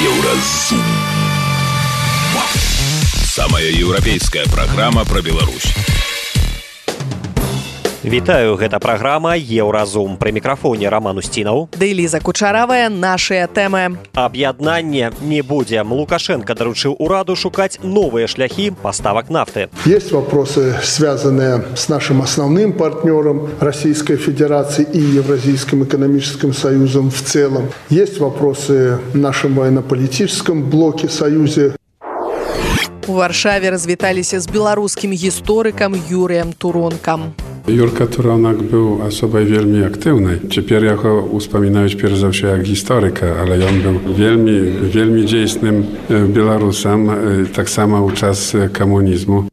Еўразум. Самая еўрапейская праграма пра Беларусь. Вітаю, гэта праграма Еўразум. Пры мікрафоне Роман Устінаў. Ды Ліза Кучаравая, нашыя тэмы. Аб'яднання не будзе. Лукашенко доручил ураду шукать новые шляхи поставок нафты. Есть вопросы, связанные с нашим основным партнером Российской Федерации и Евразийским экономическим союзом в целом. Есть вопросы в нашем военно-политическом блоке союзе. У Варшаве развіталіся з беларускім гісторыкам Юрыем Туронкам. Юрка Туронок był osobą wielmi aktywnej. Цяпер яго успамінаюць перш за ўсё як гісторыка, але ён быў вельмі дзейсным беларусам, таксама ў час камунізму.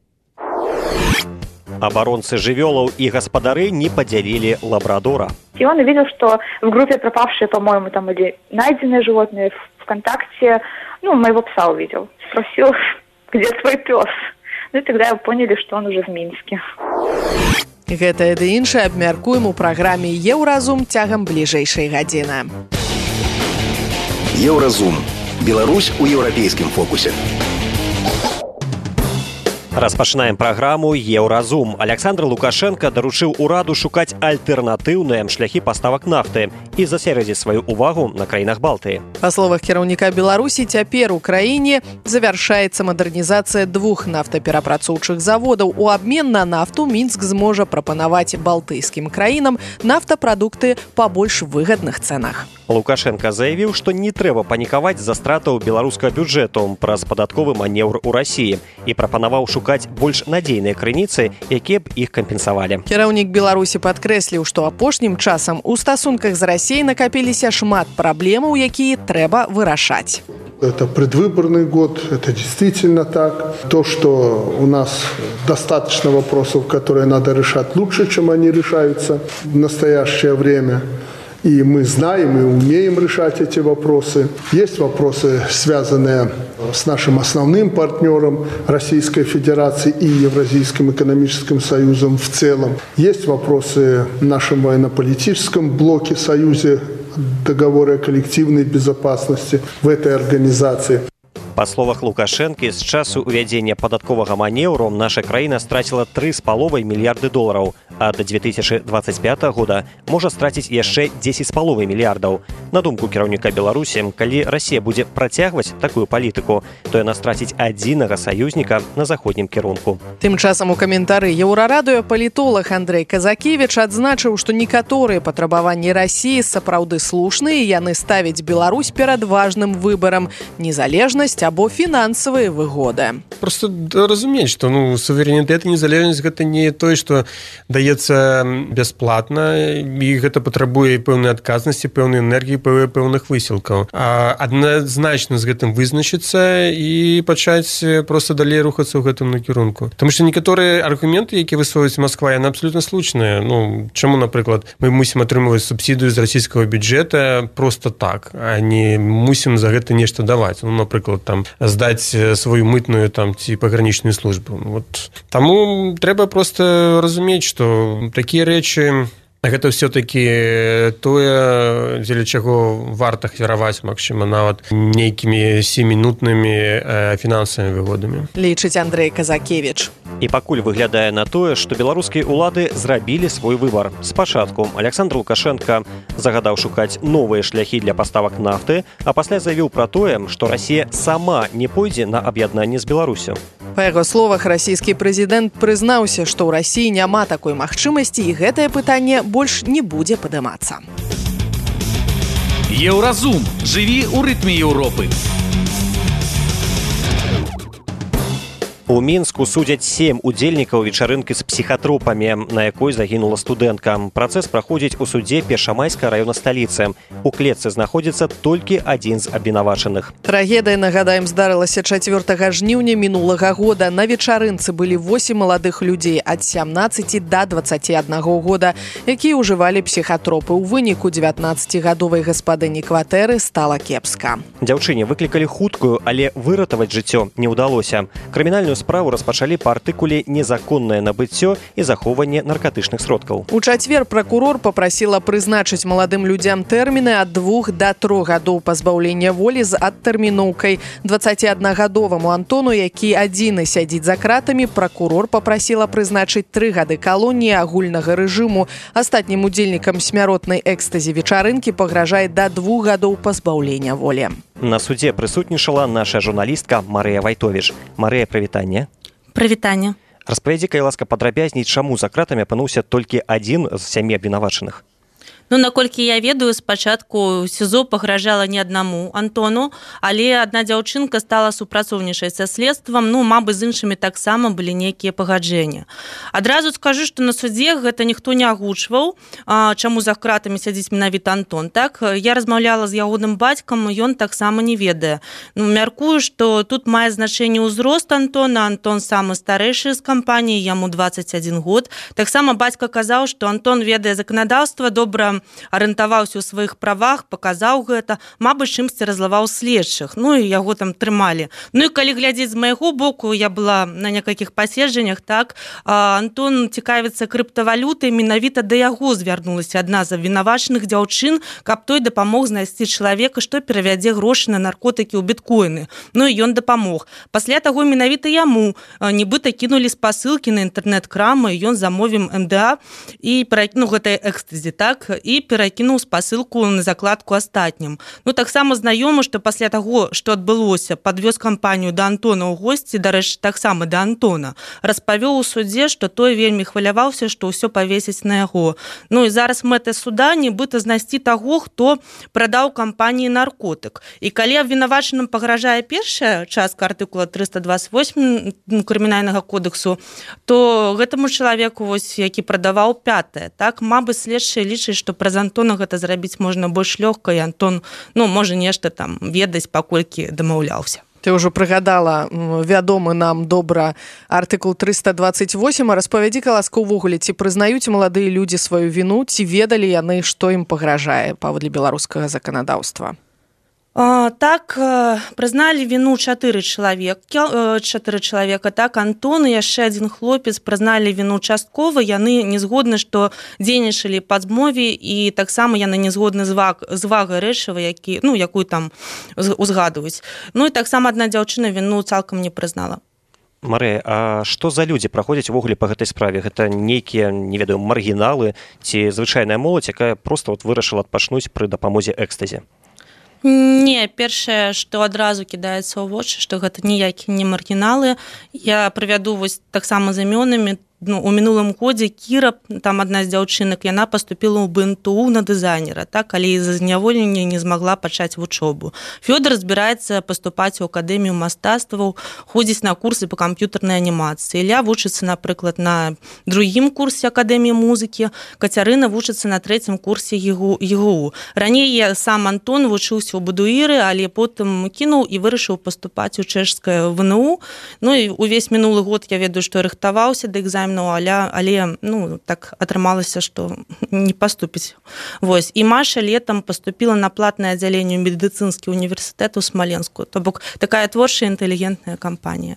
Оборонцы жывёлаў и гаспадары не поделили лабрадора. И он увидел, что в группе пропавшие, по-моему, там или найденные животные ВКонтакте, моего пса увидел. Спросил, где твой пес? И тогда поняли, что он уже в Минске. Гэтае ды іншае абмяркуем у праграме Еўразум цягам бліжэйшай гадзіны. Еўразум. Беларусь у еўрапейскім фокусе. Распачынаем праграму Еўразум. Александр Лукашенко доручил ураду шукаць альтэрнатыўныя шляхі паставак нафты і засярэдзіць сваю увагу на краінах Балтыі. Па словах кіраўніка Беларусі, цяпер у краіне завяршаецца мадэрнізацыя 2 нафтаперапрацоўчых заводаў. У абмен на нафту Мінск зможа прапанаваць балтыйскім краінам нафтапрадукты па больш выгадных цэнах. Лукашенко заявіў, што не трэба панікаваць з-за стратаў беларускага бюджэту праз падатковы манеўр у Расіі і прапанаваў шукаць больш надзейныя крыніцы, якія б іх кампенсавалі. Кіраўнік Беларусі падкрэсліў, што апошнім часам у стасунках з Расіяй накапіліся шмат праблемаў, якія трэба вырашаць. Это предвыборный год, это действительно так. То, что у нас достаточно вопросов, которые надо решать лучше, чем они решаются в настоящее время. И мы знаем и умеем решать эти вопросы. Есть вопросы, связанные с нашим основным партнером Российской Федерации и Евразийским экономическим союзом в целом. Есть вопросы в нашем военно-политическом блоке союзе, договоре о коллективной безопасности в этой организации. Па словах Лукашэнкі, з часу ўвядзення падатковага манеўру наша краіна страціла $3,5 мільярды, а до 2025 года можа страціць яшчэ $10,5 мільярдаў. На думку кіраўніка Беларусі, калі Расія будзе працягваць такую палітыку, то яна страціць адзінага саюзніка на заходнім кірунку. Тым часам у каментары Еўрарадыё палітолог Андрэй Казакевіч адзначыў, што некаторыя патрабаванні Расіі сапраўды слушныя, і яны ставяць Беларусь перад важным выбарам – незалежнасць або фінансавыя выгоды. Просто разумець, што суверэнітэт і незалежнасць гэта не тое, што даецца бясплатна, і гэта патрабуе пэўнай адказнасці, пэўнай энергіі, пэўных высілкаў. Адназначна з гэтым вызначыцца і пачаць проста далей рухацца ў гэтым накірунку. Таму што некаторыя аргументы, якія высовваюць Масква, яны абсалютна слушныя. Чаму, напрыклад, мы мусім атрымліваць субсідыю з расійскага бюджэта проста так, а не мусім за гэта нешта даваць. Напрыклад, здаць сваю мытную ці пагранічную службу. Таму трэба проста разумець, што такія рэчы гэта ўсё-такі тое, дзеля чаго варта ахвяраваць, магчыма, нават нейкімі 7-мінутнымі фінансавымі выгодамі. Лічыць Андрэй Казакевіч. І пакуль выглядае на тое, што беларускія ўлады зрабілі свой выбар. Спачатку Александр Лукашенко загадаў шукаць новыя шляхі для паставак нафты, а пасля заявіў пра тое, што Расія сама не пойдзе на аб'яднанне з Беларусю. Па яго словах, расійскі прэзідэнт прызнаўся, што ў Расіі няма такой магчымасці, і гэтае пытанне больш не будзе падымацца. Еўразум. Жыві ў рытме Еўропы. У Мінску судзяць 7 удзельнікаў вечарынкі з псіхатропамі, на якой загінула студэнтка. Працэс праходзіць у судзе Першамайскай раёна сталіцы. У клетцы знаходзіцца толькі адзін з абвінавачаных. Трагедыя, нагадаем, здарылася 4 жніўня мінулага года. На вечарынцы былі 8 маладых людзей ад 17 да 21 года, якія ўжывалі псіхатропы. У выніку 19-гадовай гаспадыні кватэры стала кепска. Дзяўчыне выклікалі хуткую, але выратаваць жыццё не ўдалося. Крымінальную справу распачалі па артыкуле «Незаконнае набыццё і захоўванне наркатычных сродкаў». У чацвер пракурор попрасіла прызначыць маладым людзям тэрміны ад 2 до 3 гадоў пазбаўлення волі з адтэрміноўкай. 21-гадоваму Антону, які адзіны сядзіць за кратамі, пракурор попрасіла прызначыць 3 гады калоніі агульнага рэжыму. Астатнім удзельнікам смяротнай экстазі вечарынкі пагражае да 2 гадоў пазбаўлення волі. На судзе прысутнічала наша журналістка Марыя Вайтовіч. Марыя, прывітанне. Прывітанне. Распавядзі-ка, ласка, падрабязней, чаму за кратамі апынуўся толькі адзін з 7 абвінавачаных? Ну, наколькі я ведаю, спачатку СІЗО пагражала не аднаму Антону, але адна дзяўчынка стала супрацоўнічаць са следствам, мабыць, з іншымі таксама былі нейкія пагаджэнні. Адразу скажу, што на судзе гэта ніхто не агучваў, чаму за кратамі сядзіць менавіта Антон. Так, я размаўляла з ягоным бацькам, ён таксама не ведае. Мяркую, што тут мае значэнне ўзрост Антона. Антон самы старэйшы з кампаніі, яму 21 год. Таксама бацька казаў, што Антон ведае заканадаўства, добра арыентаваўся ў сваіх правах, паказаў гэта, мабыць, чымсьці разлаваў следчых, і яго там трымалі. І калі глядзець з майго боку, я была на некалькіх паседжаннях, так, Антон цікавіцца крыптавалютай, менавіта да яго звярнулася адна з абвінавачаных дзяўчын, каб той дапамог знайсці чалавека, што перавядзе грошы на наркотыкі ў біткоіны. І ён дапамог. Пасля таго менавіта яму нібыта кінулі спасылкі на інтэрнэт-крамы, ён замовіў МДА і гэтай экстазі, так, і перакінуў спасылку на закладку астатнім. Таксама знаёмы, што пасля таго, што адбылося, падвёз кампанію да Антона ў госці, дарэчы, таксама да Антона, распавёў у судзе, што той вельмі хваляваўся, што ўсё павесіць на яго. І зараз мэта суда нібыта знайсці таго, хто прадаў кампаніі наркотык. І калі абвінавачаным пагражае першая частка артыкула 328 крымінальнага кодексу, то гэтаму чалавеку, які прадаваў 5-е, так, мабыць, следчыя лічаць, што праз Антона гэта зрабіць можна больш лёгка, і Антон, можа нешта там ведаць, паколькі дамаўляўся. Ты ўжо прыгадала вядомы нам добра артыкул 328, а распавядзі-ка, ласка, увогуле, ці прызнаюць маладыя людзі сваю віну, ці ведалі яны, што ім пагражае паводле беларускага заканадаўства? Так, прызналі віну 4 чалавека, так, Антон і яшчэ адзін хлопец прызналі віну часткова, яны не згодны, што дзейнічалі па змове, і таксама яны не згодны з вагай рэчыва, якую там узгадваюць. І таксама адна дзяўчына віну цалкам не прызнала. Марыя, а што за людзі праходзяць увогуле па гэтай справе? Гэта нейкія, не ведаю, маргіналы ці звычайная моладзь, якая проста вырашыла адпачнуць пры дапамозе экстазе? Не, першае, што адразу кідаецца ў вочы, што гэта ніякія не маргіналы. Я прывяду таксама з імёнамі. У мінулым годзе Кіра, там адна з дзяўчынак, яна паступіла ў БНТУ на дызайнера, так, але з-за зняволення не змагла пачаць вучобу. Фёдор збіраецца паступаць у акадэмію мастацтваў, ходзіць на курсы па камп'ютарнай анімацыі. Ілля вучыцца, напрыклад, на 2-м курсе акадэміі музыкі, Кацярына вучыцца на 3-м курсе ЕГУ. Раней сам Антон вучыўся ў Бадуіры, але потым кінуў і вырашыў паступаць у чэшскае ВНУ. І увесь мінулы год я ведаю, што рыхтаваўся да экзамену, але так атрымалася, што не паступіць. І Маша летам паступіла на платнае аддзяленне медыцынскі універсітэт у Смаленску. То бок такая творчая інтэлігентная кампанія.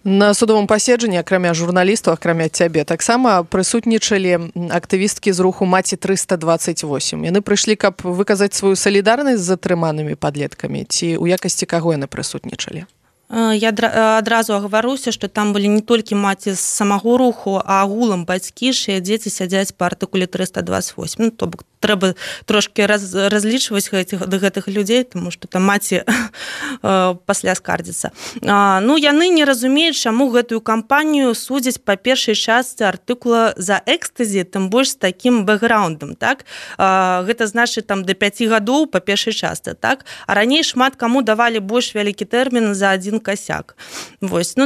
На судовым паседжанні, акрамя журналістаў, акрамя цябе, таксама прысутнічалі актывісткі з руху «Маці 328». Яны прыйшлі, каб выказаць сваю салідарнасць з затрыманымі падлеткамі, ці ў якасці каго яны прысутнічалі? Я адразу агаваруся, што там былі не толькі маці з самого руху, а агулам бацькі, чыя дзеці сядзяць па артыкуле 328. То бок трэба трошки разлічваць гэтых людзей, тому што там маці пасля скардзіцца. Яны не разумеюць, чаму гэтую кампанію судзяць па першай частцы артыкула за экстазі, тым больш з такім бэкграундам, так? Гэта значыць там да 5 гадоў па першай частцы, так? А раней шмат каму давалі больш вялікі тэрмін за адзін касяк.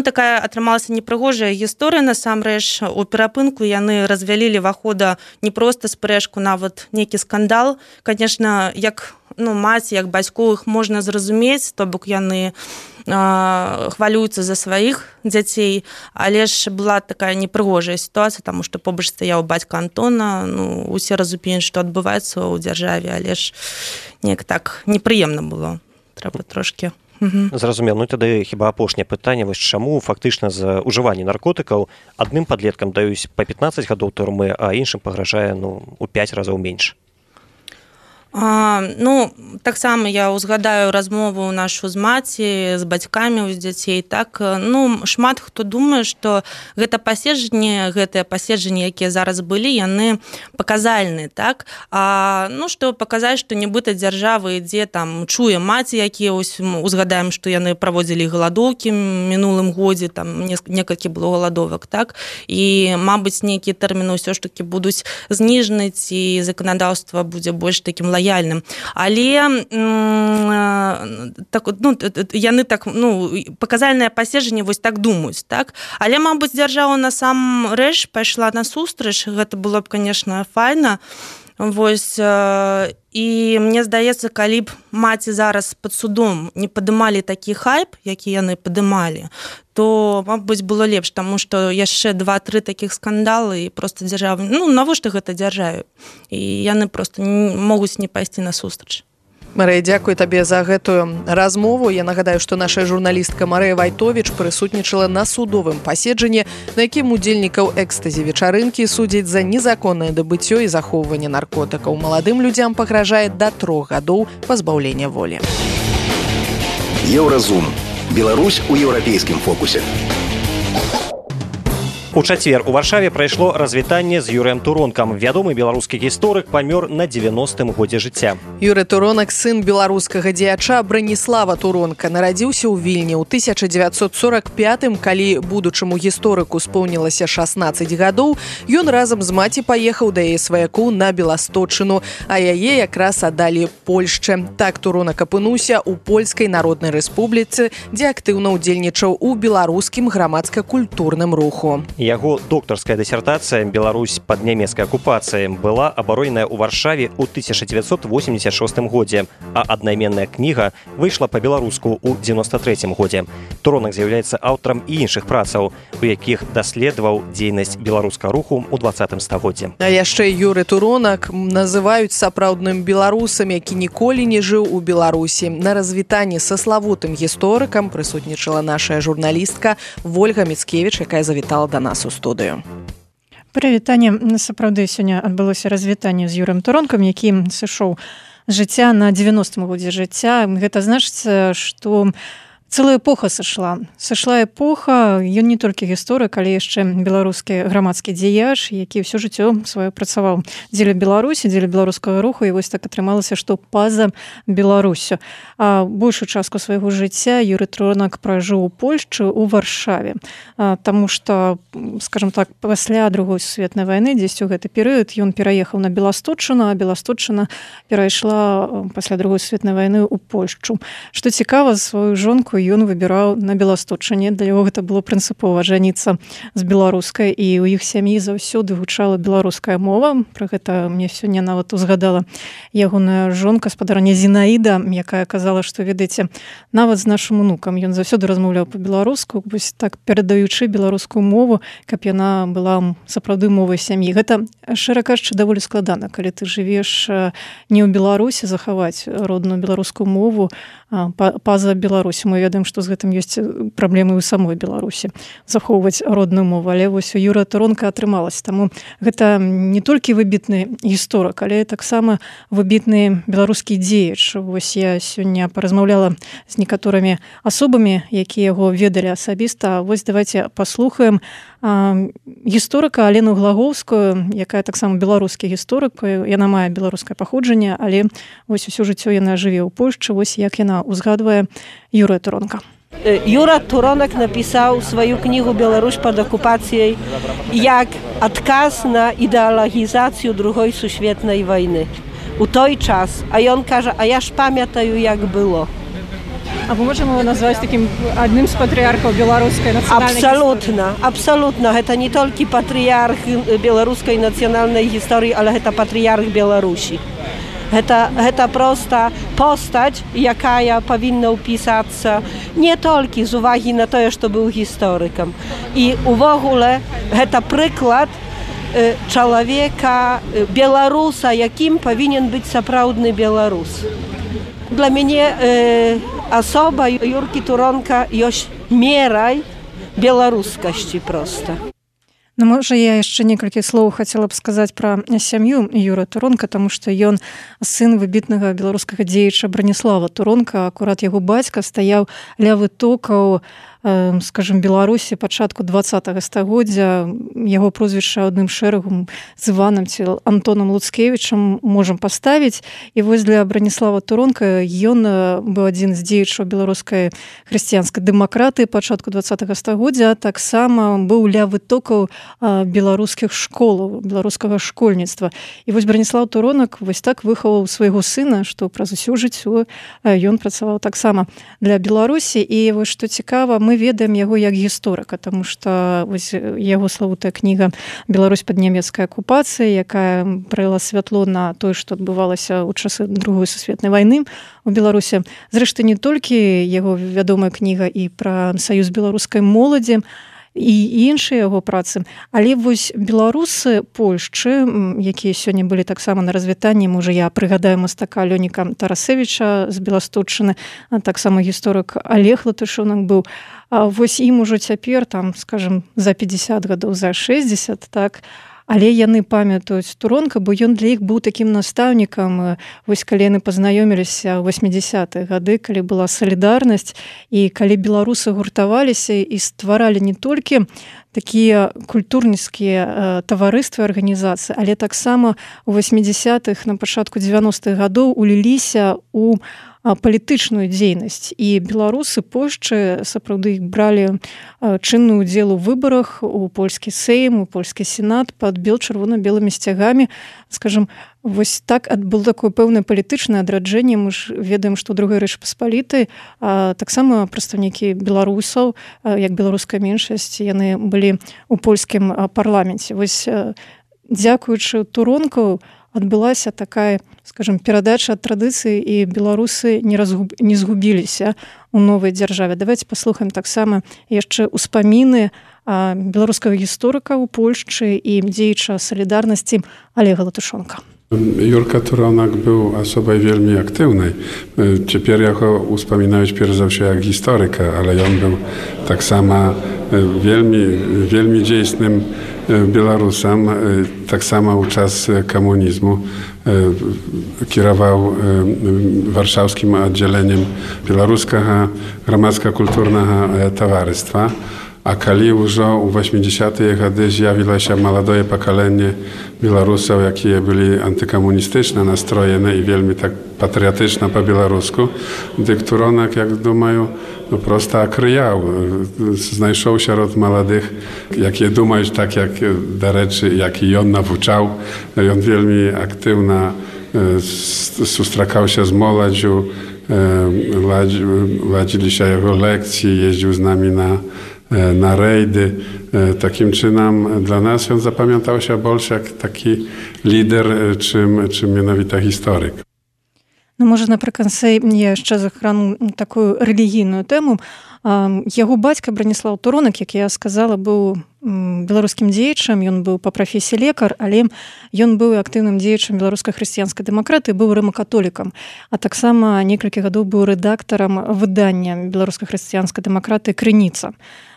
Такая атрымалася непрыгожая гісторыя, насамрэч. У перапынку яны развялілі вахода не проста спрэчку, нават нейкі скандал. Конечно, як маці, як бацькоў іх можна зразумець, то бок яны хвалююцца за сваіх дзяцей, але ж была такая непрыгожая сітуацыя, таму што побач стаяў бацька Антона, усе разумеюць, што адбываецца ў дзяржаве, але ж неяк так непрыемна было. Трэба трошки Зразумела. Ну тады хіба апошняе пытанне, вось чаму фактычна за ўжыванне наркотыкаў адным падлеткам даюць па 15 гадоў турмы, а іншым пагражае у 5 разоў менш? Таксама я узгадаю размову нашу з маці, з бацькамі з дзяцей. Так, шмат хто думае, што гэтыя паседжанні, якія зараз былі, яны паказальныя, так? Што паказаць, што нібыта дзяржава ідзе, там, чуе маці, якія узгадаем, што яны праводзілі галадоўкі мінулым годзе, там, некалькі было галадовак, так? І, мабыць, нейкія тэрміны ўсё ж такі будуць зніжаны, і заканадаўства будзе больш такім лаяльным. Але яны паказальнае паседжанне вось так думаюць, так? Але, мабыць, дзяржава насамрэч пайшла насустрач, гэта было б, конечно, файна. Вось, і мне здаецца, калі б маці зараз пад судом не падымалі такі хайп, які яны падымалі, то, мабыць, было лепш, таму што яшчэ 2-3 такіх скандалы, і проста дзяржава, навошта гэта дзяржаве? І яны проста могуць не пайсці насустрач. Марыя, дзякую табе за гэтую размову. Я нагадаю, што наша журналістка Марыя Вайтовіч прысутнічала на судовым паседжанні, на якім удзельнікаў экстазі-вечарынкі судзяць за незаконнае дабыццё і захоўванне наркотыкаў. Маладым людзям пагражае да 3 гадоў пазбаўлення волі. Еўразум. Беларусь у еўрапейскім фокусе. У чацвер у Варшаве прайшло развітанне з Юрыем Туронкам. Вядомы беларускі гісторык памёр на 90-м годзе жыцця. Юрый Туронак, сын беларускага дзеяча Браніслава Туронка, нарадзіўся ў Вільні ў 1945-м, калі будучаму гісторыку споўнілася 16 гадоў. Ён разам з маці паехаў да яе сваякоў на Беласточчыну, а яе якраз аддалі Польшчы. Так Туронак апынуўся ў Польскай Народнай Рэспубліцы, дзе актыўна ўдзельнічаў у беларускім грамадска-культурным руху. Яго доктарская дысертацыя «Беларусь пад нямецкай акупацыяй» была абароненая ў Варшаве ў 1986 годзе, а аднайменная кніга выйшла па-беларуску ў 1993 годзе. Туронак з'яўляецца аўтарам і іншых працаў, у якіх даследаваў дзейнасць беларускага руху ў 20 стагоддзі. А яшчэ Юрый Туронак называюць сапраўдным беларусам, які ніколі не жыў у Беларусі. На развітанні са славутым гісторыкам прысутнічала наша журналістка Вольга Міцкевіч, якая завітала да нас у студыю. Прывітанне. Сапраўды сёння адбылося развітанне з Юрыем Туронкам, які сышоў з жыцця на 90-м годзе жыцця. Гэта значыць, што цэлая эпоха сышла. Сышла эпоха, ён не толькі гісторык, але яшчэ беларускі грамадскі дзеяч, які ўсё жыццё сваё працаваў дзеля Беларусі, дзеля беларускага руху, і вось так атрымалася, што па-за Беларусю. А большую частку свайго жыцця Юрый Туронак пражыў у Польшчы, у Варшаве. Таму што, скажам так, пасля Другой сусветнай вайны, дзесьці ў гэты перыяд, ён пераехаў на Беласточчыну, а Беласточчына перайшла пасля Другой сусветнай вайны ў Польшчу. Што цікава, сваю жонку ён выбіраў на Беласточчыне. Для яго гэта было прынцыпова жаніцца з беларускай, і ў іх сям'і заўсёды гучала беларуская мова. Пра гэта мне сёння нават узгадала ягоная жонка, спадарня Зінаіда, якая казала, што, ведаеце, нават з нашым унукам ён заўсёды размаўляў па-беларуску, вось так перадаючы беларускую мову, каб яна была сапраўды мовай сям'і. Гэта, шчыра кажучы, даволі складана, калі ты жывеш не ў Беларусі, захаваць родную беларускую мову па-за Беларусі. Мы ведаем, што з гэтым ёсць праблемы ў самой Беларусі захоўваць родную мову, але вось у Юрыя Туронка атрымалася. Таму гэта не толькі выбітны гісторык, але таксама выбітны беларускі дзеяч. Вось я сёння паразмаўляла з некаторымі асобамі, якія яго ведалі асабіста. Вось давайте паслухаем гісторыка Алену Глагоўскую, якая таксама беларускі гісторык. Яна мае беларускае паходжанне, але вось усё жыццё яна жыве ў Польшчы. Вось як яна узгадвае Юрыя Туронка. Юра Туронак написał swoją knigę Białoruś pod okupacją jak odkaz na ideologizację II świetnej wojny. U той czas, a on każe, a ja ж pamiętаю, jak było. А мы можем его назвать таким одним из патриархов белорусской национальной истории? Абсолютно. Это не только патриарх белорусской национальной истории, ale это патриарх Беларуси. Это просто postać, jaka powinna upisać nie tylko z uwagi na to, że był historykiem. I w ogóle to przykład człowieka, Białorusa, jakim powinien być naprawdę Białorus. Dla mnie Особа Юрки Туронка ёсць мерай беларускасці проста. Ну, можа, я яшчэ некалькі слоў хацела б сказаць пра сям'ю Юры Туронка, таму што ён сын выбітнага беларускага дзеяча Браніслава Туронка. Акурат яго бацька стаяў ля вытокаў, скажем, Беларусі пачатку 20-го стагоддзя. Яго прозвішча адным шэрагам з Іванам ці Антонам Луцкевічам можам паставіць. І вось для Браніслава Туронка ён быў адзін з дзеячаў беларускай хрысціянскай дэмакратыі пачатку 20-го стагоддзя, таксама быў ля вытокаў беларускіх школаў, беларускага школьніцтва. І вось Браніслав Туронак вось так выхаваў свайго сына, што праз усё жыццё ён працаваў таксама для Беларусі. І вось што цікава, мы ведаем яго як гісторыка, таму што вось яго славутая кніга «Беларусь пад нямецкай акупацыяй», якая праліла святло на тое, што адбывалася ў часы Другой сусветнай вайны у Беларусі. Зрэшты, не толькі яго вядомая кніга і пра саюз беларускай моладзі, і іншыя яго працы. Але вось беларусы Польшчы, якія сёння былі таксама на развітанні, можа, я прыгадаю мастака Лёніка Тарасевіча з Беласточчыны, таксама гісторык Олег Латышонак быў. Вось ім ужо цяпер, там, скажем, за 50 гадоў, за 60, так, але яны памятаюць Туронка, бо ён для іх быў такім настаўнікам. Вось калі яны пазнаёміліся ў 80-е гады, калі была салідарнасць, і калі беларусы гуртаваліся і стваралі не толькі такія культурніцкія таварыствы, арганізацыі, але таксама у 80-х, на пачатку 90-х гадоў уліліся ў палітычную дзейнасць. І беларусы Польшчы сапраўды бралі чынны ўдзел у выбарах, у польскі сейм, у польскі сенат пад чырвона-белымі сцягамі. Скажем, вось так было такое пэўнае палітычнае адраджэнне. Мы ж ведаем, што ў Другой Рэчы Паспалітай таксама прадстаўнікі беларусаў, як беларуская меншасць, яны былі ў польскім парламенце. Вось дзякуючы Туронку адбылася такая, скажем, перадача ад традыцыі, і беларусы не згубіліся ў новай дзяржаве. Давайте паслухаем таксама яшчэ ўспаміны беларускага гісторыка ў Польшчы і дзеяча салідарнасці Олега Латышонка. Юрка Туронак był osobą wielmi aktywnej. Ciepер ja go uspominać pierwszy zawsze jak historyka, ale on był tak samo wielmi dziejsnym Białorusem, tak samo u czas komunizmu. Kierował warszawskim oddzieleniem Białoruskiego Gromadsko-Kulturnego Towarzystwa. A kali już u 80-tych latach zjawiło się młode pokolenie Białorusów, jakie byli antykomunistyczne nastrojone i wielmi tak patriotyczne po białorusku, gdy Turonak, jak думаю, no prosto kryjał. Znajszał się wśród młodych, jakie думаją tak jak do rzeczy, jak i on nawuczał. On wielmi aktywna, sustrzekał się z młodzieżą, ladzili się jego lekcje, jeździł z nami na rejdy. Takim czynem dla nas on zapamiętał się больше jak taki lider, czym mianowita historyk. Ну, можа, напрыканцы я яшчэ захрану такую рэлігійную тэму. Яго бацька Браніслав Туронак, як я сказала, быў беларускім дзеячам, ён быў па прафесіі лекар, але ён быў актыўным дзеячам беларускай хрысціянскай дэмакратыі, быў рымакатолікам, а таксама некалькі гадоў быў рэдактарам выдання беларускай хрысціянскай дэмакратыі «Крыніца».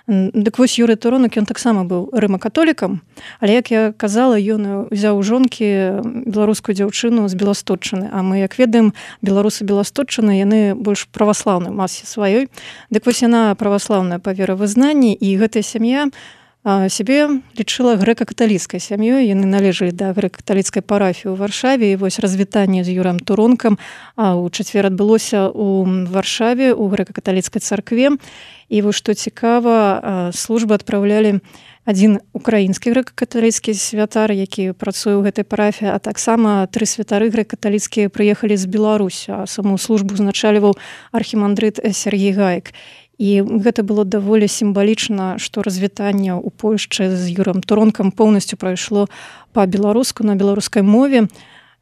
Дык вось Юрый Туронак, ён таксама быў рымакатолікам, але, як я казала, ён узяў у жонкі беларускую дзяўчыну з Беласточчыны, а мы, як ведаем, беларусы Беласточчыны, яны больш праваслаўнай масе сваёй. Дык вось яна праваслаўная па веравызнанні, і гэтая сям'я сябе лічыла грэка-каталіцкай сям'ёй. Яны належалі да грэка-каталіцкай парафіі ў Варшаве, і вось развітанне з Юрам Туронкам у чацвер адбылося ў Варшаве, у грэка-каталіцкай царкве. І вось што цікава, службы адпраўлялі адзін украінскі грэка-каталіцкі святар, які працуе ў гэтай парафіі, а таксама 3 святары грэка-каталіцкія прыехалі з Беларусі, а саму службу узначальваў архімандрыт Сергей Гаек. І гэта было даволі сімвалічна, што развітанне ў Польшчы з Юрам Туронкам поўнасцю прайшло па-беларуску, на беларускай мове.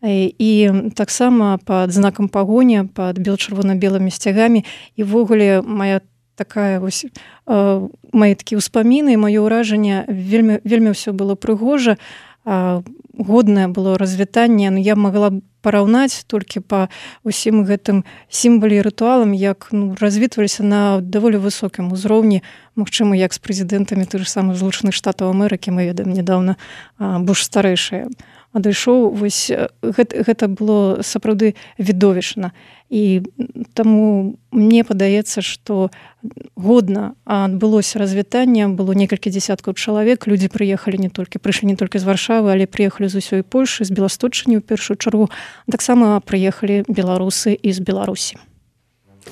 І таксама пад знакам пагоні, пад чырвона-белымі сцягамі. І ввогуле моя такая вось мои такія ўспаміны, маё ўражанне, вельмі ўсё было прыгожа. годнае было развітанне. Я магла б параўнаць толькі па ўсім гэтым сімвалі і рытуалам, як развітваліся на даволі высокім узроўні, магчыма, як з прэзідэнтамі тых же самых Злучаных Штатаў Амерыкі, мы ведаем нядаўна Буш старэйшы адышоў. Вось гэта было сапраўды відовішчна. І таму мне падаецца, што годна адбылося развітанне, было некалькі дзесяткаў чалавек, людзі прыйшлі не толькі з Варшавы, але прыехалі з усёй Польшы, з Беласточчыны ў першую чаргу. Таксама прыехалі беларусы і з Беларусі.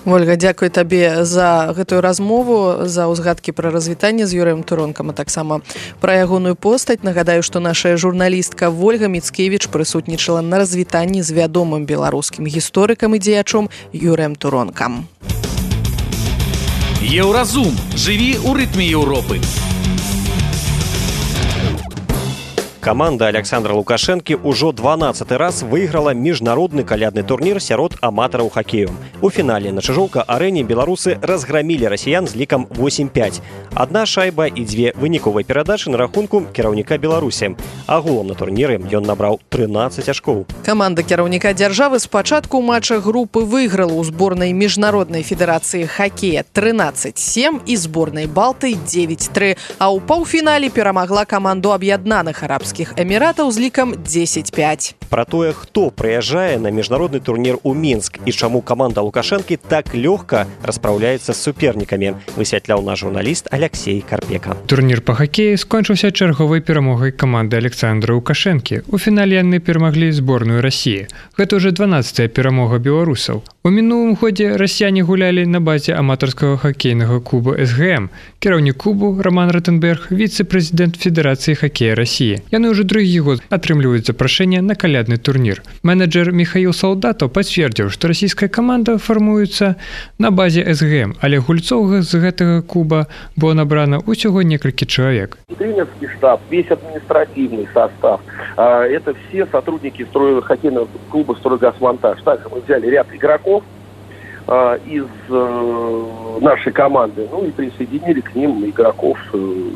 Ольга, дзякуй табе за гэтую размову, за ўзгадкі пра развітанне з Юрыем Туронкам, а таксама пра ягоную постаць. Нагадаю, што наша журналістка Ольга Міцкевіч прысутнічала на развітанні з вядомым беларускім гісторыкам і дзеячом Юрыем Туронкам. Еўразум. Жыві ў рытме Еўропы. Каманда Александра Лукашэнкі ўжо 12-й раз выйграла міжнародны калядны турнір сярод аматараў хакею. У фінале на Чыжоўка-арэне беларусы разграмілі расіян з лікам 8-5. Адна шайба і 2 выніковыя перадачы на рахунку кіраўніка Беларусі. Агулам на турніры ён набраў 13 ачкоў. Каманда кіраўніка дзяржавы спачатку ў матчах групы выйграла ў зборнай міжнароднай федэрацыі хакея 13-7 і зборнай Балты 9-3, а ў паўфінале перамагла каманду аб'яднаных арабскіх Эміратаў з лікам 10-5. Пра тое, хто прыязджае на міжнародны турнір у Мінск і чаму каманда Лукашэнкі так лёгка распраўляецца з супернікамі, высвятляў наш журналіст Алексей Карпека. Турнір па хакеі скончыўся чарговай перамогай каманды Александра Лукашэнкі. У фінале яны перамаглі зборную Расіі. Гэта ўжо 12-я перамога беларусаў. У мінулым годзе расіяне гулялі на базе аматарскага хакейнага клуба СГМ. Кіраўнік клубу Роман Ротенберг, віцэ-прэзідэнт Федэрацыі хакея Расіі. Яны ўжо другі год атрымліваюць запрашэнне на калядны турнір. Менеджер Михаил Солдатов пацвердзіў, што расійская каманда фармуецца на базе СГМ, але гульцоў з гэтага клуба было набрана усяго некалькі чалавек. Тренерский штаб, весь административный состав, это все сотрудники хоккейного клуба «Стройгазмонтаж». Также мы взяли ряд игроков из нашей команды, ну и присоединили к ним игроков,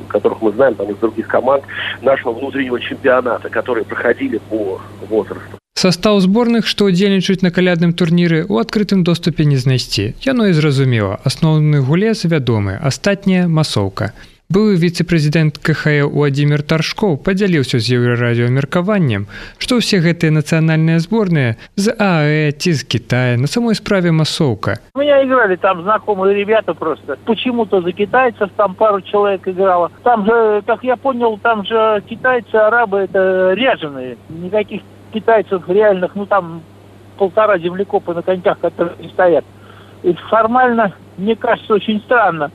которых мы знаем там из других команд нашего внутреннего чемпионата, которые проходили по возрасту. Состав зборных, што ўдзельнічаюць на калядным турніры, у адкрытым доступе не знайсці. Яно і зразумела. Асноўны гулец вядомы, астатняя масоўка. Былы віцэ-прэзідэнт КХЛ Владимир Таршков падзяліўся з Еўрарадіо меркаваннем, што ўсе гэтыя нацыянальныя зборныя з ААЭ ці з Китая на самой справе масоўка. У меня играли там знакомые ребята просто. Почему-то за китайцев там пару человек играло. Там же, как я понял, там же китайцы, арабы это ряженые. Никаких китайцев реальных, ну там 1,5 землекопа на коньках, которые не стоят. И формально, мне кажется, очень странно,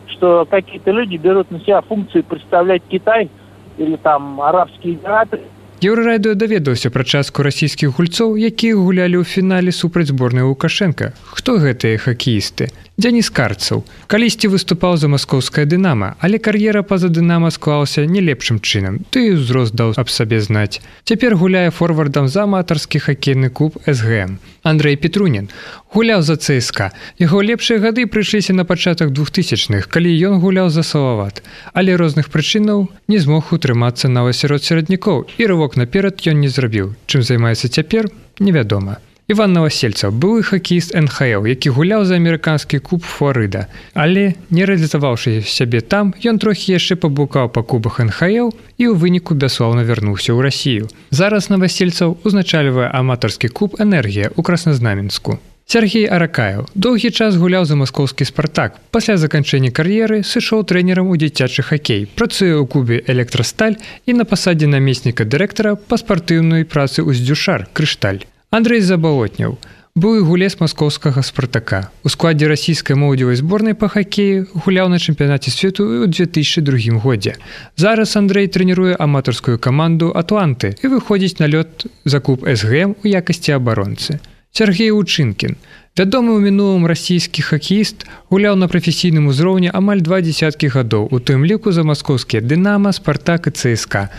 что какие-то люди берут на себя функции представлять Китай или там Арабские Эмираты. Еўрарадыо даведаўся пра частку расійскіх гульцоў, якія гулялі ў фінале супраць зборнай Лукашэнка. Хто гэтыя хакеісты? Дзяніс Карцаў. Калісьці выступаў за маскоўскае «Дынама», але кар'ера па-за «Дынама» склалася не лепшым чынам, ды і ўзрост даў аб сабе знаць. Цяпер гуляе форвардам за аматарскі хакейны клуб СГМ. Андрэй Петрунін гуляў за ЦСКА. Яго лепшыя гады прыйшліся на пачатак 2000-х, калі ён гуляў за «Салават». Але розных прычынаў не змог утрымацца нават сярод сераднякоў, і рывок наперад ён не зрабіў. Чым займаецца цяпер, невядома. Іван Новасельцаў, былы хакеіст НХЛ, які гуляў за амерыканскі клуб Флорыда. Але, не рэалізаваўшы сябе там, ён трохі яшчэ паблукаў па клубах НХЛ і ў выніку бясслаўна вярнуўся ў Расію. Зараз Новасельцаў узначальвае аматарскі клуб «Энергія» ў Красназнаменску. Сергей Аракаев доўгі час гуляў за маскоўскі «Спартак». Пасля заканчэння кар'еры сышоў трэнерам у дзіцячы хакей, працуе ў клубе «Электрасталь» і на пасадзе намесніка дырэктара па спартыўнай працы «Уздзюшар» «Крышталь». Андрэй Забалотняў, былы гулец маскоўскага «Спартака». У складзе расійскай моладзевай зборнай па хакеі гуляў на чэмпіянаце свету ў 2002 годзе. Зараз Андрэй трэніруе аматарскую каманду «Атланты» і выходзіць на лёд за клуб СГМ у якасці абаронцы. Сергей Учынкін, вядомы ў мінулым расійскі хакеіст, гуляў на прафесійным узроўні амаль 20 гадоў, у тым ліку за маскоўскія «Дынама», «Спартак» і ЦСКА.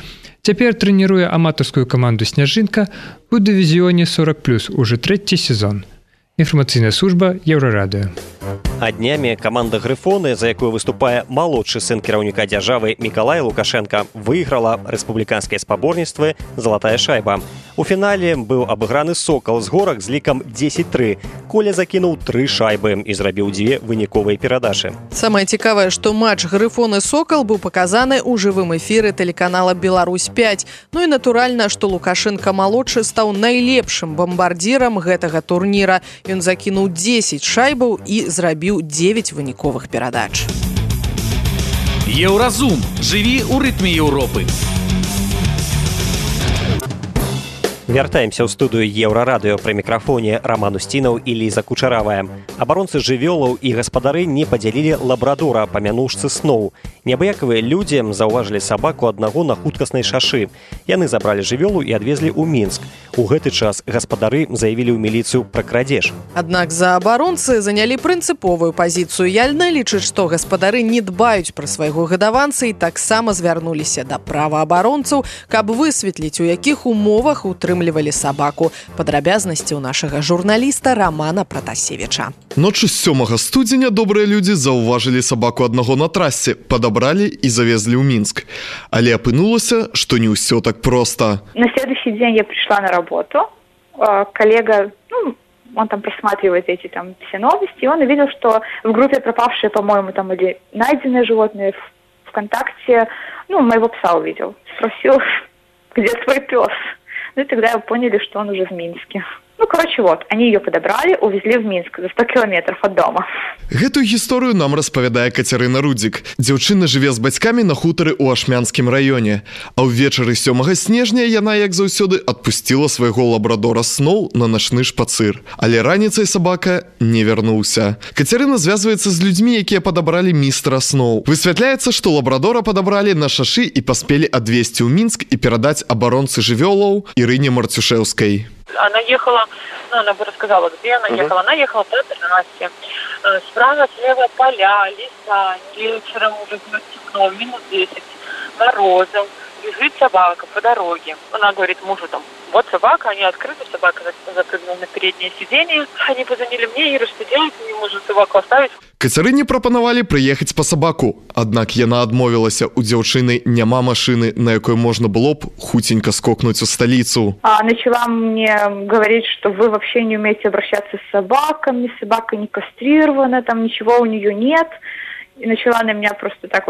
Цяпер трэніруе аматарскую каманду «Сняжынка» у дывізіёне 40+, уже 3-й сезон. Інфармацыйная служба Еўрарадыо. А днями команда «Грифоны», за якую выступае малодшы сын кіраўніка дзяржавы Мікалай Лукашенко, выйграла рэспубліканскае спаборніцтва «Залатая шайба». У фінале быў абыграны «Сокал» з горак з лікам 10-3. Коля закінуў 3 шайбы і зрабіў 2 выніковыя перадачы. Самае цікавае, што матч «Грифоны-Сокал» быў паказаны ў жывым эфіры тэлеканала «Беларусь-5». Ну і натуральна, што Лукашенко-малодшы стаў найлепшым бамбардзірам гэтага турніра. Ён закінуў 10 шайбаў і зрабіў 9 выніковых перадач. Еўразум. Жыві ў рытме Еўропы. Вяртаемся ў студыю Еўрарадыё. Пры мікрафоне Роман Устінаў і Ліза Кучаравая. Абаронцы жывёлаў і гаспадары не падзялілі лабрадора па мянушцы Сноу. Неабыякавыя людзі заўважылі сабаку аднаго на хуткаснай шашы. Яны забралі жывёлу і адвезлі ў Мінск. У гэты час гаспадары заявілі ў міліцыю пра крадзеж. Аднак заабаронцы занялі прынцыповую пазіцыю. Яльна лічыць, што гаспадары не дбаюць пра свайго гадаванца і таксама звярнуліся да праваабаронцаў, каб высветліць, у якіх умовах утрымлівалі сабаку. Падрабязнасці ў нашага журналіста Романа Пратасевіча. Ночы з 7 студзеня добрыя людзі заўважылі сабаку аднаго на трасе, падабралі і завезлі ў Мінск. Але апынулася, што не ўсё так проста. На следующий день я пришла на работу. Коллега, он там просматривает эти там все новости, и он увидел, что в группе пропавшие, по-моему, там или найденные животные ВКонтакте, моего пса увидел. Спросил, где твой пес? Ну и тогда поняли, что он уже в Минске. Они ее подобрали, увезли в Минск за 100 километров от дома. Гэтую гісторыю нам распавядае Кацярына Рудзік. Дзяўчына жыве з бацькамі на хутары ў Ашмянскім раёне. А ўвечары 7 снежня яна, як заўсёды, адпусціла свайго лабрадора Сноу на начны шпацыр. Але раніцай сабака не вярнуўся. Кацярына звязваецца з людзьмі, якія падабралі містера Сноу. Высвятляецца, што лабрадора падабралі на шашы і паспелі адвезці ў Мінск і перадаць абаронцы жывёлаў Ірыне Марцюшэўскай. Она ехала, она бы рассказала, где она ехала. Она ехала по трассе. Справа, слева поля, леса. Вечером уже было темно, минус 10, морозом. Бежит собака по дороге. Она говорит мужу там, вот собака, они открыты, собака запрыгнула на переднее сиденье. Они позвонили мне, Ира, что делать, не может собаку оставить. Кацярыне прапанавалі прыехаць па сабаку. Аднак яна адмовілася, у дзяўчыны няма машыны, на якой можна было б хуценька скокнуць у сталіцу. Начала мне говорить, что вы вообще не умеете обращаться с собаками, собака не кастрирована, там ничего у нее нет. И начала на меня просто так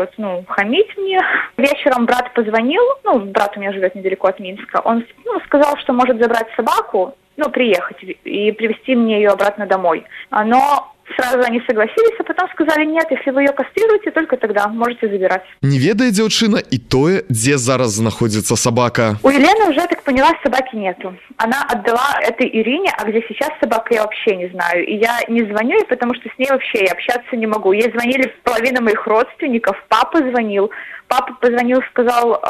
хамить мне. Вечером брат позвонил, брат у меня живет недалеко от Минска, он сказал, что может забрать собаку, приехать и привезти мне ее обратно домой. Но сразу они согласились, а потом сказали, нет, если вы ее кастрируете, только тогда можете забирать. Не ведае дзяўчына і тое, дзе зараз знаходзіцца собака. У Елены уже, так поняла, собаки нету. Она отдала этой Ирине, а где сейчас собака, я вообще не знаю. И я не звоню ей, потому что с ней вообще я общаться не могу. Ей звонили половина моих родственников, папа звонил. Папа позвонил, сказал,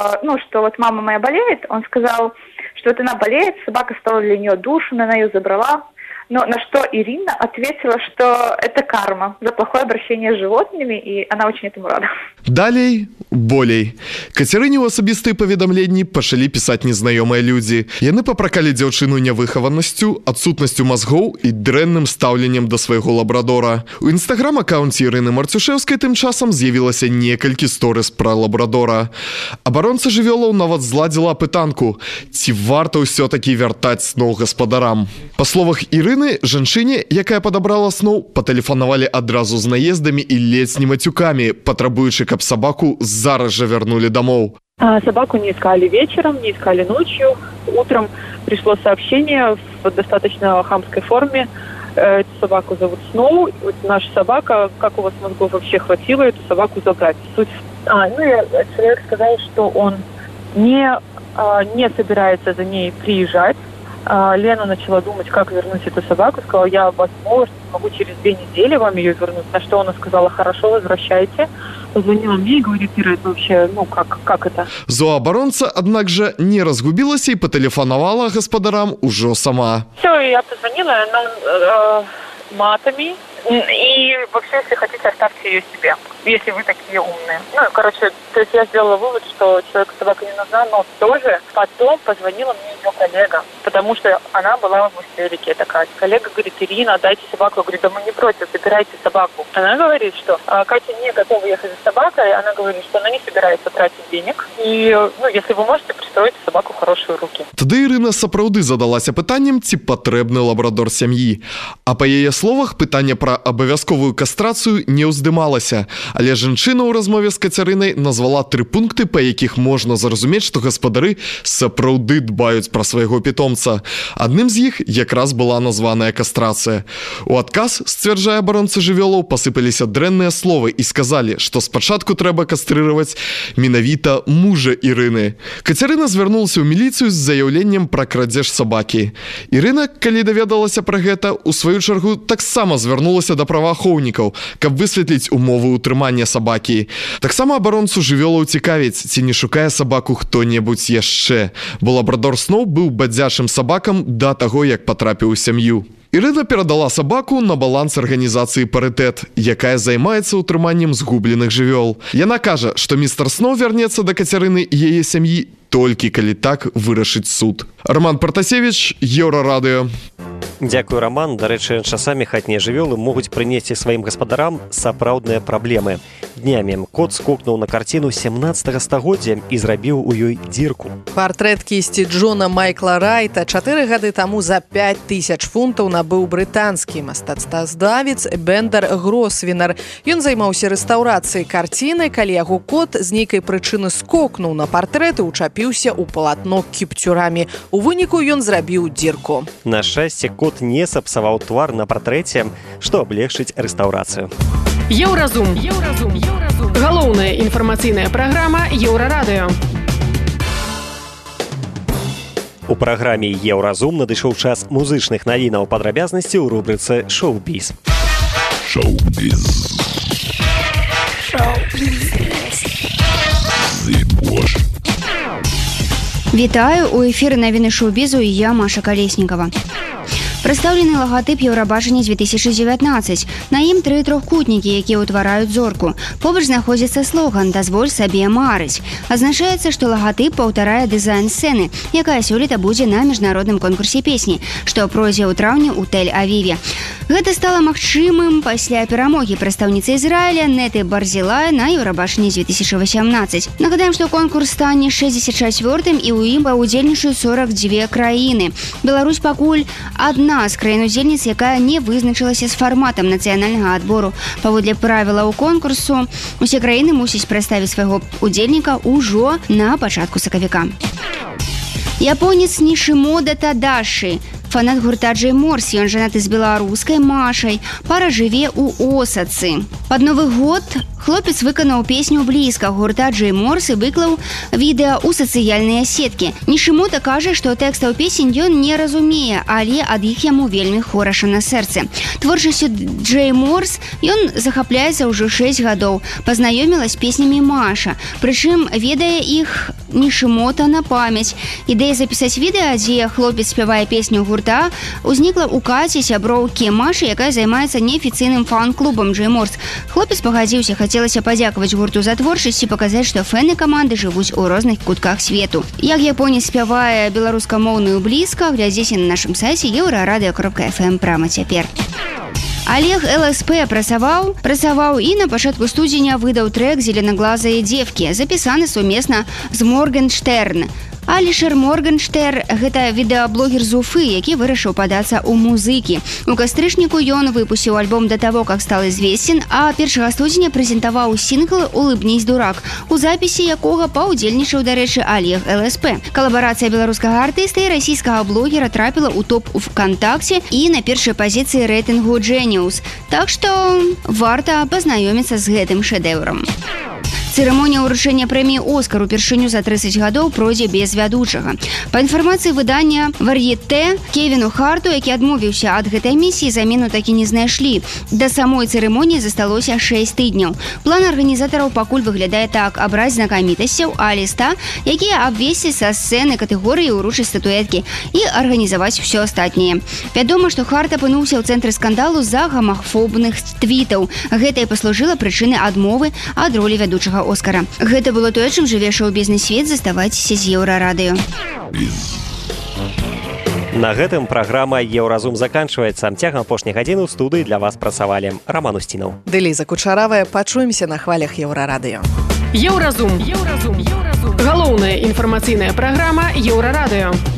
что вот мама моя болеет. Он сказал, что вот она болеет, собака стала для нее душу, она ее забрала. Но на что Ирина ответила, что это карма за плохое обращение с животными, и она очень этому рада. Далей, болей. Кацярыне ў асабістыя паведамленні пачалі пісаць незнаёмыя людзі. Яны папракалі дзяўчыну нявыхаванасцю, адсутнасцю мазгоў і дрэнным стаўленнем да свайго лабрадора. У інстаграм-акаунце Ірыны Марцюшэўскай тым часам з'явілася некалькі сторыс пра лабрадора. Абаронца жывёлаў нават зладзіла апытанку, ці варта ўсё-такі вяртаць Сноу гаспадарам. Па словах Ірыны, жанчыне, якая падабрала Сноу, патэлефанавалі адразу з наездамі і ледзь не мацюкамі, патрабуючы, каб собаку зараз же вернули домов. Собаку не искали вечером, не искали ночью. Утром пришло сообщение в достаточно хамской форме. Эту собаку зовут Сноу. Вот наша собака, как у вас мозгов вообще хватило эту собаку забрать? Суть. Человек сказал, что он не собирается за ней приезжать. Лена начала думать, как вернуть эту собаку. Сказала, я, возможно, могу через 2 недели вам ее вернуть. На что она сказала, хорошо, возвращайте. Позвонила мне и говорит, Ира, это вообще, как это? Зооабаронца, аднак жа, не разгубілася і патэлефанавала гаспадарам ужо сама. Все, я позвонила, она матами И вообще, если хотите, оставьте ее себе, если вы такие умные. Ну, короче, то есть я сделала вывод, что человеку собака не нужна, но тоже потом позвонила мне ее коллега, потому что она была в истерике такая. Коллега говорит: Ирина, дайте собаку. Я говорю: да мы не против, забирайте собаку. Она говорит, что Катя не готова ехать за собакой, она говорит, что она не собирается тратить денег. И, ну, если вы можете, пристроить собаку в хорошие руки. Тады Ірына сапраўды задалася пытаннем, ці патрэбны лабрадор сям'і. А па яе словах, пытанне пра абавязковую кастрацыю не ўздымалася. Але жанчына ў размове з Кацярынай назвала 3 пункты, па якіх можна зразумець, што гаспадары сапраўды дбаюць пра свайго пітомца. Адным з іх якраз была названая кастрацыя. У адказ, сцвярджае абаронца жывёлаў, пасыпаліся дрэнныя словы і сказалі, што спачатку трэба кастрыраваць менавіта мужа Ірыны. Кацярына звярнулася ў міліцыю з заяўленнем пра крадзеж сабакі. Ірына, калі даведалася пра гэта, у сваю чаргу таксама звярнулася да праваахоўнікаў, каб высветліць умовы ўтрымання сабакі. Таксама абаронцу жывёлаў цікавіць, ці не шукае сабаку хто-небудзь яшчэ, бо лабрадор Сноу быў бадзячым сабакам да таго, як патрапіў у сям'ю. Ірына перадала сабаку на баланс арганізацыі «Парытэт», якая займаецца ўтрыманнем згубленых жывёл. Яна кажа, што містер Сноу вярнецца да Кацярыны і яе сям'і толькі калі так вырашыць суд. Роман Партасевич, Еўрарадыё. Дзякую, Роман. Дарэчы, часамі хатнія жывёлы могуць прынесці сваім гаспадарам сапраўдныя праблемы. Днямі кот скокнуў на карціну 17 стагоддзя і зрабіў у ёй дзірку. Партрэт кісці Джона Майкла Райта 4 гады таму за 5000 фунтаў набыў брытанскі мастацтвазнавец Бендер Гросвенар. Ён займаўся рэстаўрацыяй карціны, калі яго кот з нейкай прычыны скокнуў на партрэт і учапіўся ў палатно кіпцюрамі. У выніку ён зрабіў дзірку. На шчасце, кот не сапсаваў твар на партрэце, што аблегчыць рэстаўрацыю. Еўразум. Галоўная інфармацыйная праграма Еўрарадыё. У праграме «Еўразум» надышоў час музычных навінаў, падрабязнасці ў рубрыцы «Шоу-біз». Вітаю, у эфіры навіны шоу-бізу і я, Маша Калеснікава. Прадстаўлены лагатып Еўрабачання 2019. На ім 3 трохкутнікі, якія ўтвараюць зорку. Побач знаходзіцца слоган «Дазволь сабе марыць». Азначаецца, што лагатып паўтарае дызайн сцэны, якая сёлета будзе на міжнародным конкурсе песні, што пройдзе ў траўні ў Тель-Авіве. Гэта стала магчымым пасля перамогі прадстаўніцы Ізраіля Неты Барзілая на Еўрабачанні 2018. Нагадаем, што конкурс стане 64-м і ў ім паўдзельнічаюць 42 краіны. Беларусь пакуль адна з краін-удзельніц, якая не вызначылася з фарматам нацыянальнага адбору. Паводле правілаў конкурсу, усе краіны мусяць прадставіць свайго удзельніка ўжо на пачатку сакавіка. Японец Нішымода Тадаші, фанат гурта Джей Морс, ён жанаты з беларускай Машай, пара жыве ў Осацы. Пад Новы год хлопец выканаў песню «Блізка» гурта Джей Морс і выклаў відэа ў сацыяльныя сеткі. Нішымода кажа, што тэкстаў песень ён не разумее, але ад іх яму вельмі хораша на сэрцы. Творчасцю Джей Морс ён захапляецца ўжо 6 гадоў. Пазнаёміла з песнямі Маша, прычым ведае іх Нішымода на памяць. Ідэя запісаць відэа, дзе хлопец спявае песню гурта, узнікла ў Каці, сяброўкі Машы, якая займаецца неафіцыйным фан-клубам Джей Морс. Хлопец пагадзіўся, хацелася падзякаваць гурту за творчасць і паказаць, што фэны каманды жывуць у розных кутках свету. Як японец спявае беларускамоўную «Блізка», глядзіце на нашым сайце euraradeo.fm прама цяпер. Олег ЛСП працаваў і на пачатку студзеня выдаў трэк «Зеленаглазыя дзевкі», запісаны сумесна з Моргенштерн. Алішер Моргенштер – гэта відэаблогер з Уфы, які вырашыў падацца ў музыкі. У кастрычніку ён выпусціў альбом да таго, як стал известен, а 1 студзеня прэзентаваў сінгл «Улыбнись, дурак», у запісе якога паўдзельнічаў, дарэчы, Олег ЛСП. Калабарацыя беларускага артыста і расійскага блогера трапіла ў топ у ВКонтакце і на першай пазіцыі рэйтынгу Genius. Так што варта пазнаёміцца з гэтым шэдэўрам. Цырымонія ўручэння прэміі «Оскар» упершыню за 30 гадоў пройдзе без вядучага. Па інфармацыі выдання «Вар'етэ», Кевіну Харту, які адмовіўся ад гэтай місіі, замену такі не знайшлі. Да самой цырымоніі засталося 6 тыдняў. План арганізатараў пакуль выглядае так: абраць знакамітасцяў А-ліста, якія абвесці са сцэны катэгорыі ўручаць статуэткі і арганізаваць усё астатняе. Вядома, што Харт апынуўся ў цэнтры скандалу з-за гомафобных твітаў. Гэта і паслужыла прычынай адмовы ад ролі вядучага «Оскара». Гэта было тое, чым жыве шоу-бізнес-свет. Заставайцеся з Еўрарадыё. На гэтым праграма «Еўразум» заканчваецца. Цягам апошняй гадзіны ў студыі для вас працавалі Раман Устінаў. Дэліза Кучаравая. Пачуемся на хвалях Еўрарадыё. Еўразум. Галоўная інфармацыйная праграма Еўрарадыё.